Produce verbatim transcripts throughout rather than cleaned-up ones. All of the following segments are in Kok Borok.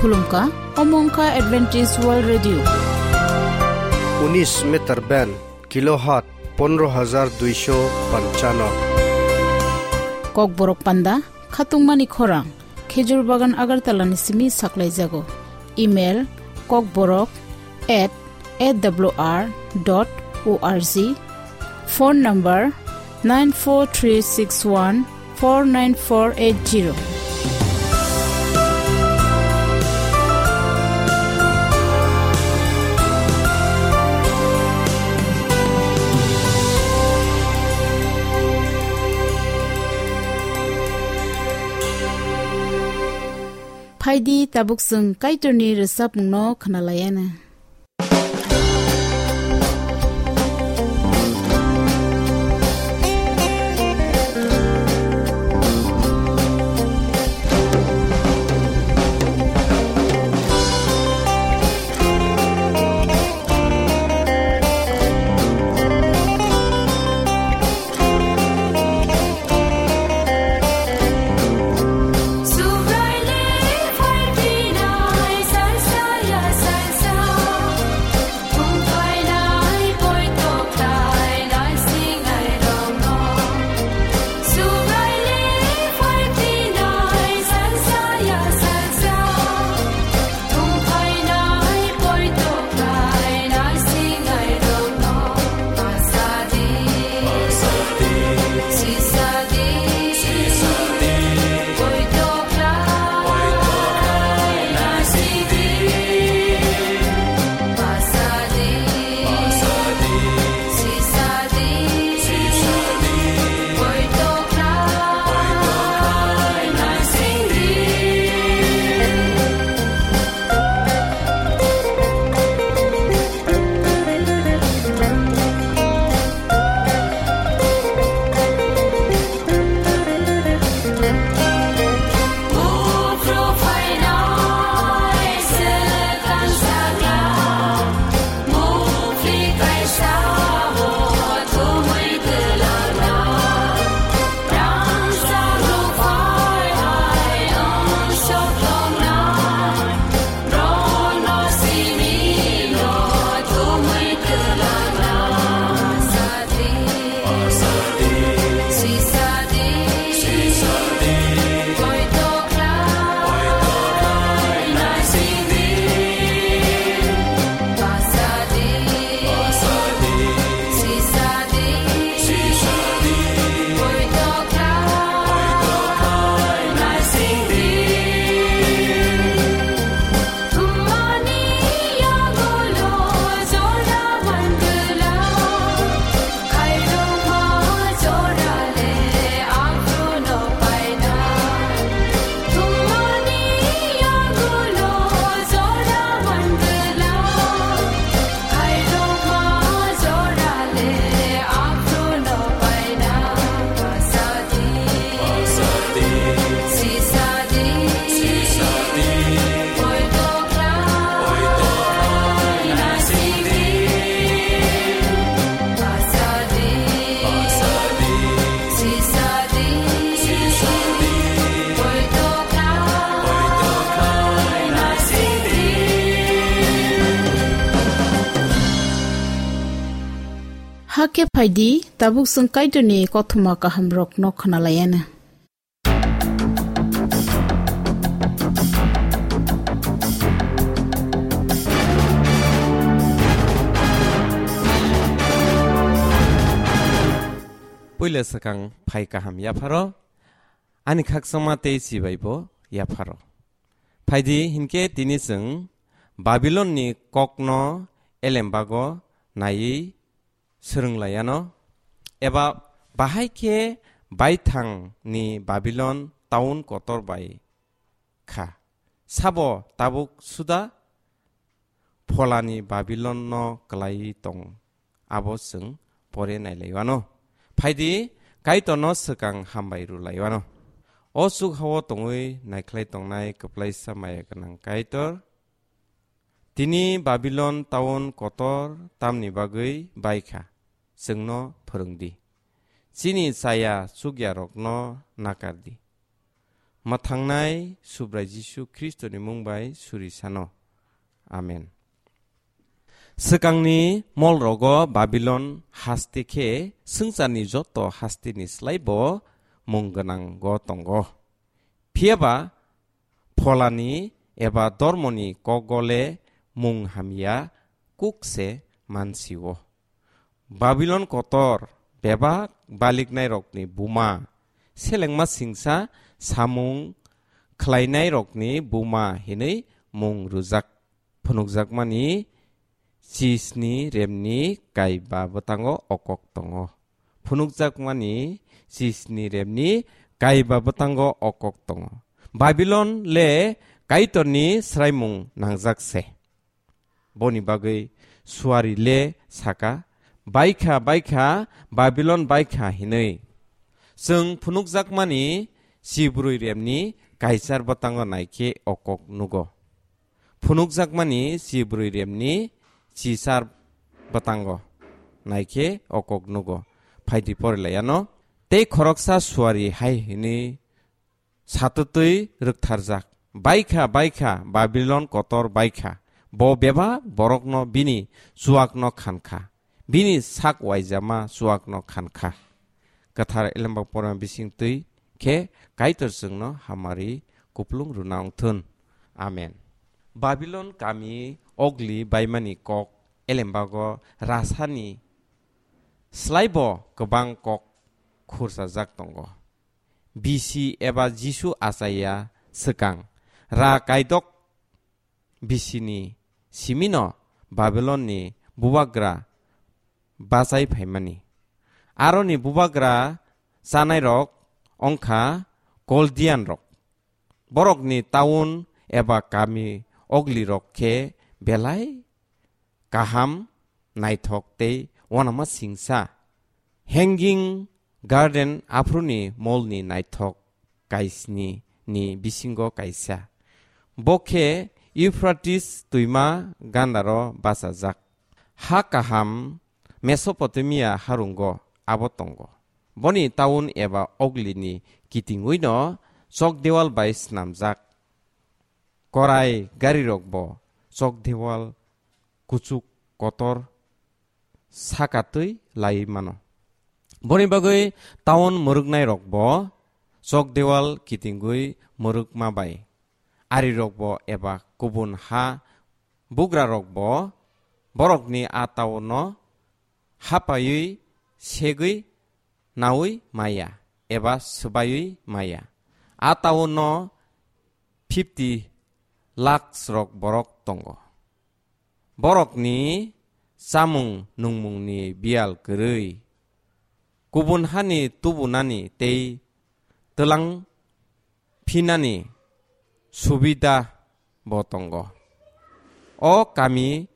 Khulumkha, omo wngkha Adventist World Radio. Unis meter band, kilohertz pondro hajar duisho panchano. Kokborok panda, khatungmani khorang, Khejur Bagan Agartala ni simi saklaijago. Email, kokborok at A W R dot O R G. Phone number nine four three six one four nine four eight zero. Phaidi tabuk chwng Kaitorni rwchapmungno khwnalaiana. Hakhe phaidi, tabuk chwng Kaitorni kothoma kahamrokno khwnalaiana. Puila swkang phai kaham yapharo, ani khakchangma tei chibaibo yapharo. Phaidi hinkhe tini chwng Babilonni kokno elembago naiwi swrwng laiano, eba bahai khe baithangni Babilon taun kotor bai kha. Sabo tabuk suda pholani Babilonno klai tong, abo chwng pore nailaiwano. Phaidi Kaitorno swkang hambai rwlaiwano. O chukhao tongwi naikhlai tongnai kwplaisa maya gwnang Kaitor, tini Babilon taun kotor tamni bagwi bai kha, chwngno phwrwng di. Chini chaya chukyarokno nakar di. mwthangnai Subrai Jisu Khristoni mung bai suri sano. Amen. Swkangni molrogo Babilon haste khe swngcharni joto hasteni slai bo mung gwnango tongo. Phiya ba pholani eba dormoni kokgole mung hamya kuk se mansio. Babilon kotor bebak baliknairokni buma, selengma singsa samung khlainairokni buma hinwi mung rwjak. Phunukjakmani chisni remni kaiba bwtango okok tongo. Phunukjakmani chisni remni kaiba bwtango okok tongo. Babilon le Kaitorni sraimung nangjak se. Boni bagwi suari le saka, "Baikha, baikha, Babilon baikha," hinwi. Chwng phunukjakmani chibrwi remni kaichar bwtango naikhe okok nugo. Phunukjakmani chibrwi remni chichar bwtango naikhe okok nugo. Phaidi porilaiano. Tei khoroksa suari hai hwnwi satwtwi rwktharjak, "Baikha, baikha, Babilon kotor baikha. Bo bebak borokno bini chuakno khankha. Bini sak waijama chuakno khankha." Kwthar Elemba porma bisingtwi khe Kaitor chwngno hamari kuplung rwna wngthun. Amen. Babilon kami ogli baimani kok Elembago rasani slaibo kwbang kok khursajak tongo. Bisi eba Jisu achaiya swkang ra kaidok bisini simino Babilonni bubagra bachai phaimani. Aroni bubagra chanairok wngkha Koldianrok. Borokni taun eba kami oglirok khe belai kaham, naithok tei uanama singsa. Hanging Garden aphuruni molni naithok kaisni ni bisingo kaisa. Bo khe Euphrates twima gandaro bachajak. Ha kaham Mesopotamia harungo abo tongo. Boni taun eba oglini kitingwino chokdeual bai snamjak. Korai garirokbo chokdeual kuchuk kotor sakatwi lai mano. Boni bagwi taun mwrwknairokbo chokdeual kitingwi mwrwkma bai arirokbo eba kubun ha bugrarokbo borokni a taunno hapaiwi segwi naui maya eba swbaiwi maya. A taunno fifty lakhs rok borok tongo. Borokni chamung nungmungni biyal kwrwi, kubun hani tubunani tei twlang phinani subida bo tongo. O kami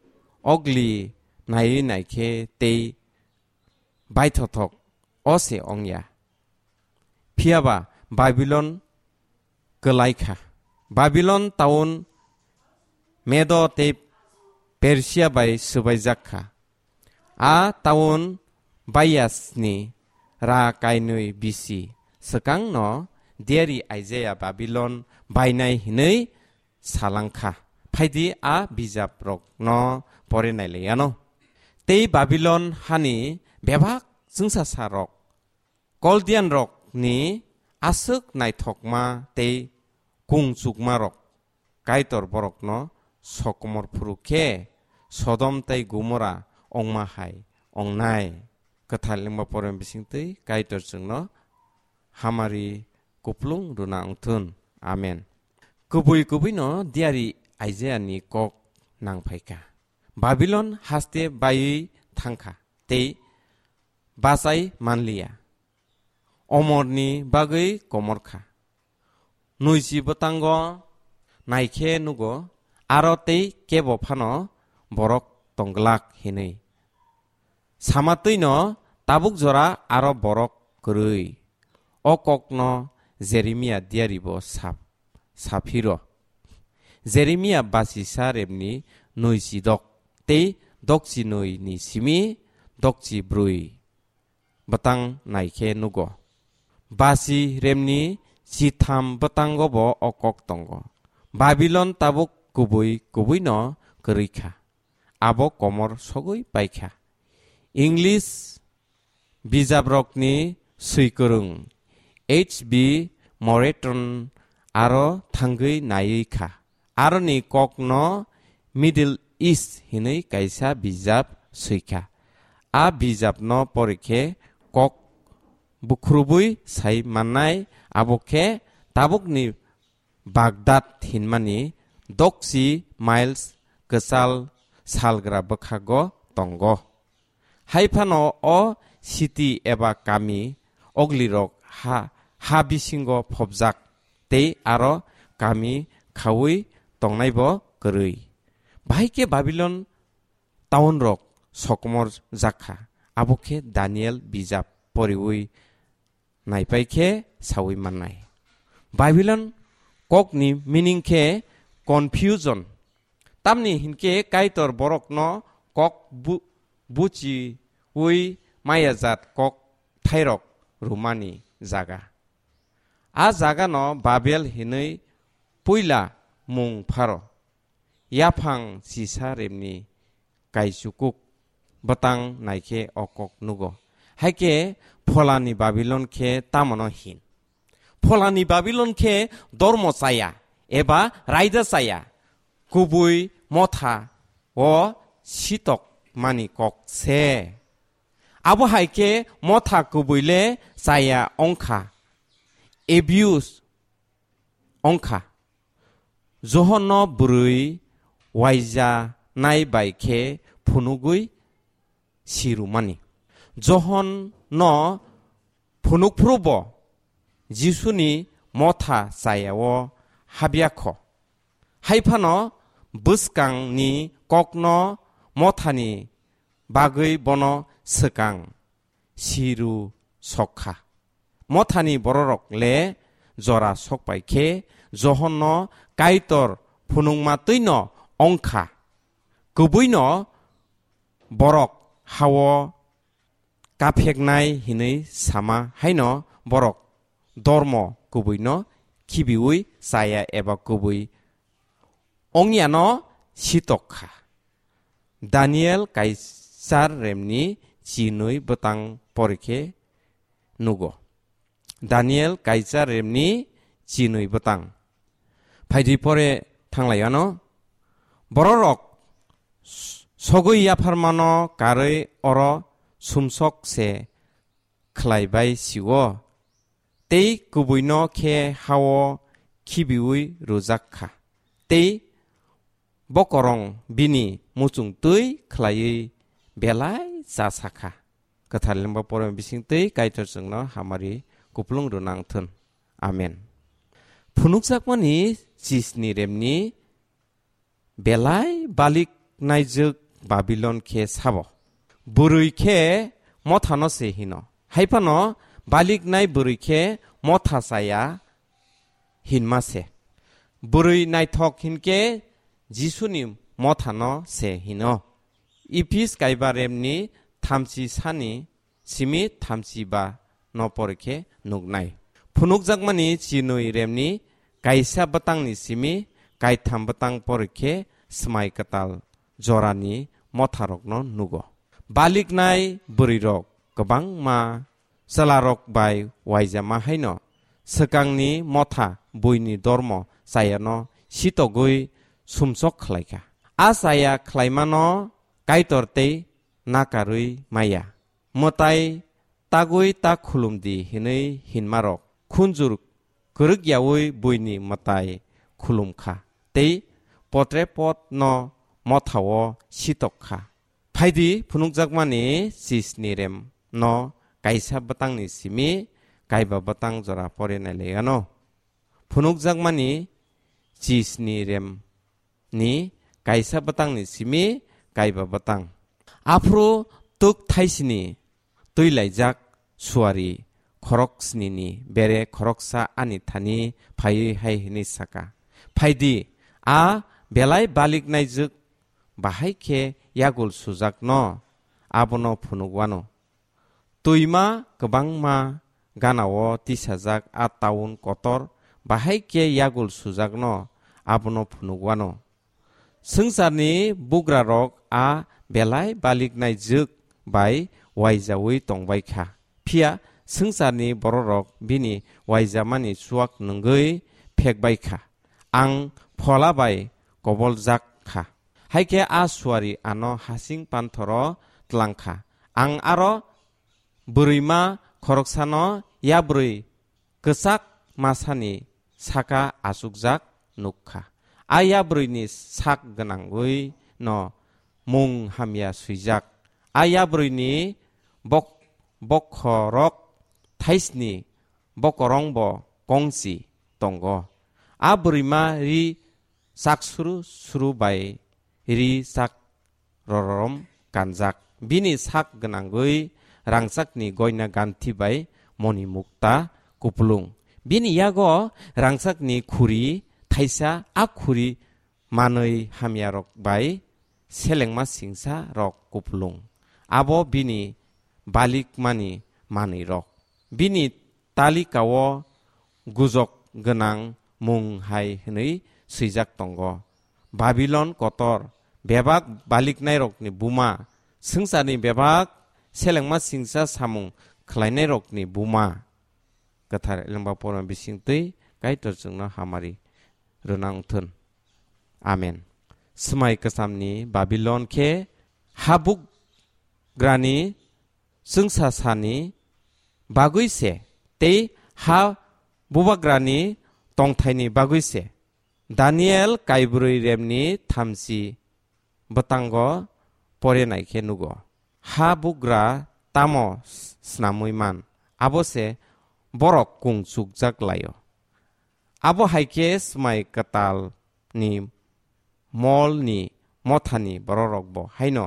ogli naiwi naikhe tei baithothok o se ongya. Phiyaba Babilon kwlai kha. Babilon taun Medo tei Persia bai swbaijak kha. A taun Baiyasni ra kainwi bisi swkangno diari Isaiah Babilon bainai hinwi salangkha. Phaidi a bijaprokno pore nailaiyano. Tei Babilon hani bebak chwngsasarok, Koldianrokni aswk naithokma tei kungchukmarok Kaitor borokno sokomor phuru khe Sodom tei Gomora ongma hai ongnai. Kwthar lengma porem bisingtwi Kaitor chwngno hamari kuplung rwna wngthun. Amen. Kubui kubuino diari Isaiah ni kok nangphaikha. Babilon haste baiwi thangkha tei bachai manliya. Omorni bagwi komorkha. Nuisi bwtango naikhe nugo, aro tei kebo phano borok tongglak hinwi. Samatwino tabuk jora aro borok kwrwi. O kokno Jeremia diaribo sap-, saphiro. Jeremia basisa remni nuisi dok tei dokchi nui ni simi dokchi brwi bwtang naikhe nugo. Basi remni chitham bwtango bo o kok tongo. Babilon tabuk kubui kubuino kwrwi kha. Abo komor sogwi pai kha. English bijabrokni swikwrwng H B Moreton aro thangwi naiwi kha. Aroni kokno Middle East hinwi kaisa bijap swi kha. A bijapno porikhe kok bukhurubwi sai mannai, abo khe tabukni Baghdad hinmani dokchi miles kwchal salgra bwkhago tongo. Hai phano o city eba kami oglirok ha, ha bisingo phobjak tei aro kami khaui tongnaibo kwrwi. Bahai khe Babilon town rok sokomor jakha, abo khe Daniel bijap poriwi naipai khe saui mannai. Babilon kokni meaning khe confusion. Tamni hinkhe Kaitor borokno kok bu-, buchiui mayajat kok thairok rwmani jaga. A jagano Babel hinwi puila mung pharo. Yaphang chisa remni kaichukuk bwtang naikhe o kok nugo. Haikhe pholani Babilon khe tamono hin? Pholani Babilon khe dormo chaya eba raida chaya, kubui motha o sitok mani kok se. Abo hai khe motha kubui le chaya ongkha, abuse ongkha. Johonno bwrwi waija nai bai khe phunugwi sirumani. Johonno phunukphrubo Jisuni motha chayao habya kho. Hai phano bwskangni kokno mothani bagwi bono swkang siru sok kha. Mothani bororok le jora sok pai khe Johonno Kaitor phunukma twino ongkha. Kubuino borok hao kapheknai hinwi sama haino borok dormo kubuino khibiui chaya eba kubui ongyano sitok kha. Daniel Kaisar remni chinwi bwtang porikhe nugo. Daniel Kaisar remni chinwi bwtang. Phaidi pore thanglaiano. Bororok s-, sogwi yapharmano karwi oro sumsok se khlai bai sio. Tei kubuino khe hao khibiui rwjak kha. Tei bokorong bini muchung twi khlaiwi belai cha sa kha. Kwthar lemba pore bising twi Kaitor chwngno hamari kuplung rwnang thun. Amen. Phunukjakmani chisni remni belai balik naijwk Babilon khe sabo. Bwrwi khe mothano se hino. Hai phano baliknai bwrwi khe motha chaya hinma se. Bwrwi naithok hinkhe Jisuni mothano se hino. Ephis kaiba remni thamchi sani simi thamchi ba no porikhe nuknai. Phunukjakmani chinwi remni kaisa bwtangni simi kaitham bwtang porikhe swmai kwtal jorani motharokno nugo. Baliknai bwrwirok kwbangma chwlarok bai waijama haino swkangni motha buini dormo chayano sitogwi sumsok khlaikha. A chaya khlaimano Kaitor tei nakarwi maya. Mwtai tagwi ta khulum di hinwi hinmarok khunjur kwrwk yaui buini mwtai khulum kha tei potre pot no mothao sitok kha. Phaidi phunukjakmani chisni rem no kaisa bwtangni simi kaiba bwtang jora pore nailaigano. Phunukjakmani chisni rem ni kaisa bwtangni simi kaiba bwtang. Aphuru tuk thaisini twi laijak suari khorok snini bere khoroksa ani thani phaiwi hai hwnwi saka, "Phaidi, a belai baliknaijwk bahai khe yagul sujakno abono phunukwano." Twima kwbangma ganao tisajak a taun kotor bahai khe yagul sujakno abono phunuk wano. Swngcharni bugrarok a belai baliknai jwk bai uaijaui tongbai kha, phiya swngcharni bororok bini uaijamani chuak nwngwi phekbai kha. Ang phola bai koboljak kha, hai khe a suari ano hasing panthoro tlang kha. Ang aro bwrwima khoroksano yabrwi kwchak masani saka achukjak nuk kha. A yabrwini sak gwnangwi no mung hamya swijak. A yabrwini bok-, bokhorok thaisni bokorongbo kongchi tongo. A bwrwima ri chak suru suru bai ri chak rororom kanjak. Bini sak gwnangwi rangchakni goina ganthi bai moni mukta kupulung. Bini yago rangchakni khuri thaisa, a khuri manwi hamyarok bai selengma singsa rok kupulung. Abo bini balikmani manwi rok. Bini talikao gujok gwnang mung hai hwnwi swijak tongo: Babilon kotor, bebak baliknairokni buma, swngcharni bebak selengma singsa samung khlainairokni buma. Kwthar Elengba Porma bisingtwi Kaitor chwngno hamari rwna wngthun. Amen. Swmai kwchamni Babilon khe habugrani chwngsasani bagwi se tei ha bubagrani tongthaini bagwi se. Daniel kaibrwi remni thamchi bwtango pore nai khe nugo. Ha bugra tamo s-, snamwi man, abo se borok kung chukjak lai-o. Abo hai khe Swmai Kwtalni molni mothani bororokbo haino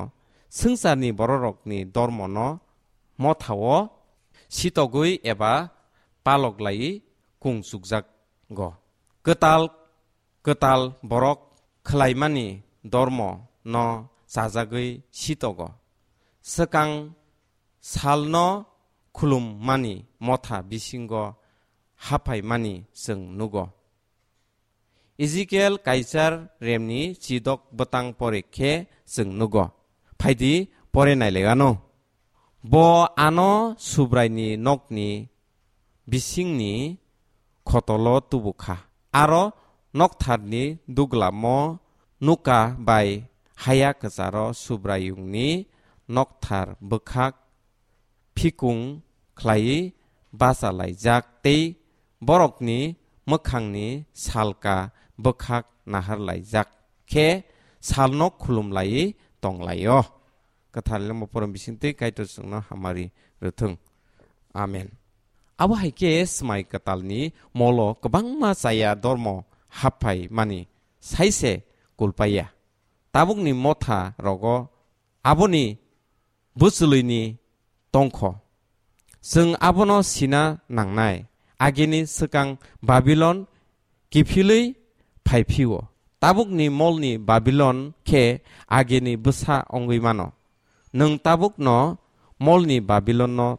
swngcharni bororokni dormono mothao sitogwi eba palok laiwi kung chukjago. Kwtal kwtal borok khlaimani dormo no chajagwi sitogo. Swkang salno khulummani motha bisingo haphaimani chwng nugo. Ezekiel Kaichar remni chidok bwtang pore khe chwng nugo. Phaidi pore nailaiwano. Bo ano Subraini nokni bisingni khotolo tubu kha. Aro noktharni duglamo nuka bai haya kwcharo Subraiyungni nokthar bwkhak phikung khlaiwi bacha laijak tei borokni mwkhangni salka bwkhak nahar laijak khe salno khulum laiwi tong lai-o. Kwthar Lemo Porom bisingtwi Kaitor chwngno hamari rwthwng. Amen. Abo hai khe Swmai Kwtalni molo kwbangma chaya dormo happhai mani sai se kulpaiya. Tabukni motha rogo aboni bwchwlwini tongkho. Chwng abono sina nangnai, agini swkang Babilon kiphilwi phai phio. Tabukni molni Babilon khe agini bwsa wngwi mano. Nwng tabukno molni Babilonno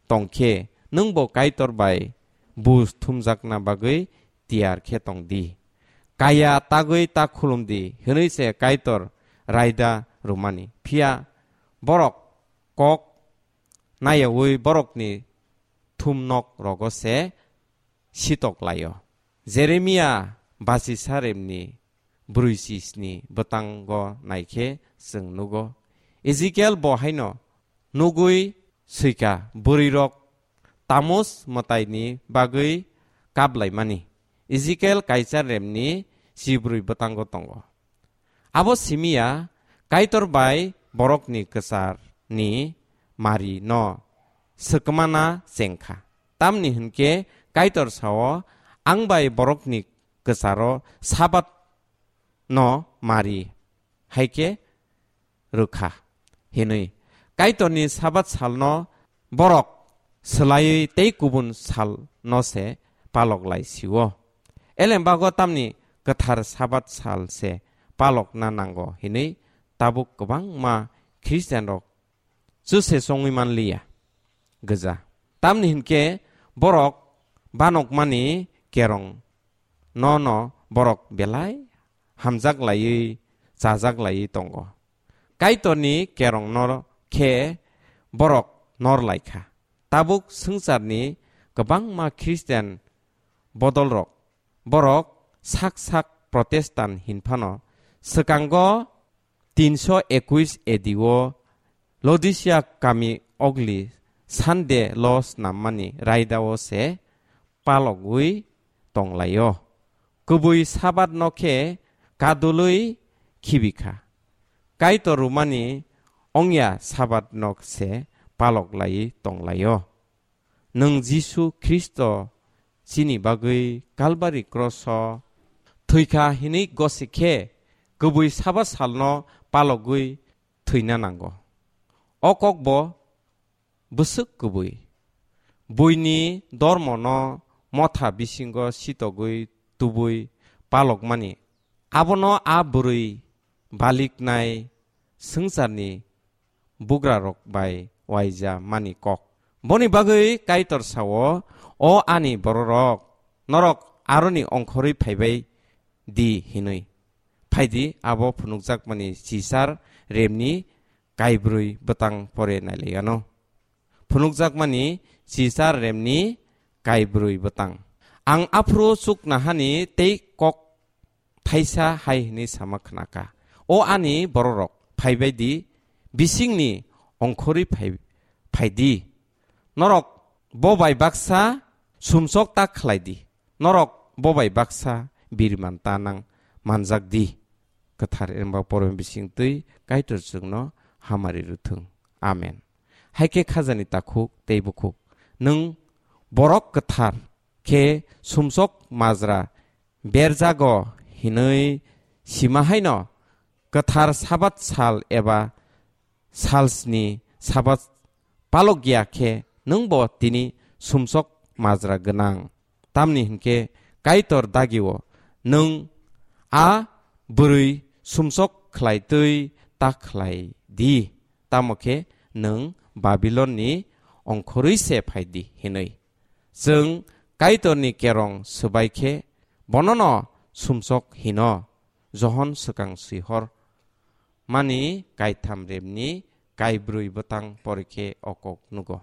tong khe, nwngbo Kaitor bai buj thumjakna bagwi tiyar khe tong di. Kaya tagwi ta khulum di hwnwi se Kaitor raida rwmani. Phiya borok kok nayaui borokni thumnok rogo se sitok lai-o. Jeremia bachisa remni brwi chisni bwtango naikhe chwng nugo. Ezekiel bo haino nugwi swika bwrwirok Tamus mwtaini bagwi kaplaimani. Ezekiel Kaichar remni chibrwi bwtango tongo. Abo simi ya Kaitor bai borokni kwcharni mari no swkmana chengkha. Tamni hwnkhe Kaitor sao, "Ang bai borokni kwcharo Sabat no mari hai khe rwkha," hinwi. Kaitorni Sabat salno borok swlaiwi tei kubun salno se palok lai sio. Elembago tamni kwthar Sabat sal se palokna nango hinwi tabuk kwbangma Khristianrok chuse chongwi manliya gwja. Tamni hinkhe borok banokmani kerong no no borok belai hamjak laiwi chajak laiwi tongo. Kaitorni kerong no khe borok nor lai kha. Tabuk swngcharni kwbangma Christian bodolrok, borok sak sak Protestant hinphano swkango tinso ekuis A D o Laodicea kami ogli Sunday lo snammani raidao se palogwi tonglaio. Kubui Sabat no khe kadulwi khibi kha. Kaitor rwmani ongya Sabat no se palok laiwi tonglaio. Nwng Jisu Khristo chini bagwi Kalbari kroso thwikha hinwi gosi khe kubui Sabat salno palogwi thwina nango. O kokbo bwswk kubui. Buini dormono motha bisingo sitogwi tubui palokmani. Abono a bwrwi baliknai swngcharni bugrarok bai uaija mani kok. Boni bagwi Kaitor sao, "O ani bororok, norok aroni ongkhorwi phaibai di," hinwi. Phaidi abo phunukjakmani chichar remni kaibrwi bwtang pore nailaiano. Phunukjakmani chichar remni kaibrwi bwtang. Ang aphuru chuknahani tei kok thaisa hai hwnwi sama khnakha, "O ani bororok, phaibai di, bisingni ongkhorwi phai, phai di. Norok bo bai baksa sumsok ta khlai di. Norok bo bai baksa biriman ta nang manjak di." Kwthar Eremba Porom bising twi Kaitor chwngno hamari rwthwng. Amen. Hai khe khajani takhuk tei bukhuk, nwng borok kwthar khe sumsok majra berjago hinwi sima haino kwthar Sabat sal eba sal sni Sabat palok ya khe nwngbo tini sumsok majra gwnang. Tamni hinkhe Kaitor dagio nwng a bwrwi sumsok khlai twi ta khlai di, tamo khe nwng Babilonni ongkhorwi se phai di hinwi. Chwng Kaitorni kerong swbai khe bonono sumsok hino. Johon swkang swihor mani kaitham remni kaibrwi bwtang porikhe o kok nugo.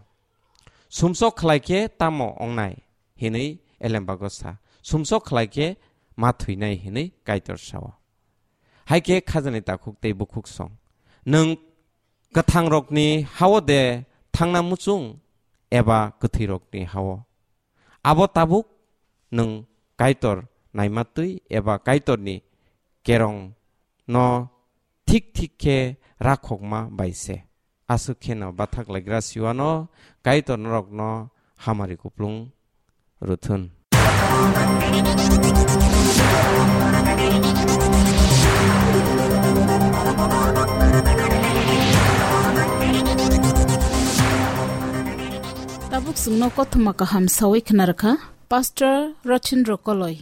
Sumsok khlai khe tamo ongnai hinwi elembago sa. Sumsok khlai khe ma thwinai hinwi Kaitor sao. Hai khe khajani takhuk tei bukhuk song. Nwng kwthangrokni hao de thangna muchung eba kwthwirokni hao? Abo tabuk nwng Kaitor naimatwi eba Kaitorni kerong no thik thik khe rakhokma bai se. Aswk kheno bathak laigra siwano Kaitor norokno hamari kuplung rwthun. Tabuk chwngno kothoma kaham sawi khna rwkha Pastor Rochindro Koloi.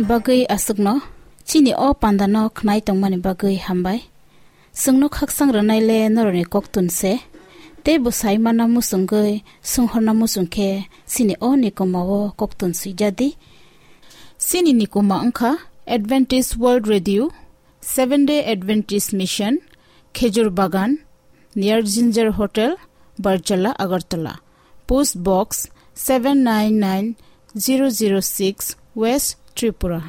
Bagwi aswkno chini o pandano khnai tongmani bagwi hambai. Chwngno khakchang rwnaile norokni koktun se. Tei bo sai manna muchungwi swnghorna muchung khe chini o nikoma o koktun swijadi. Chini nikoma wngkha Adventist World Radio, Seventh Day Adventist Mission, Khejur Bagan, near Ginger Hotel, Barjala, Agartala. Post Box seven nine nine zero zero six, West Tripura.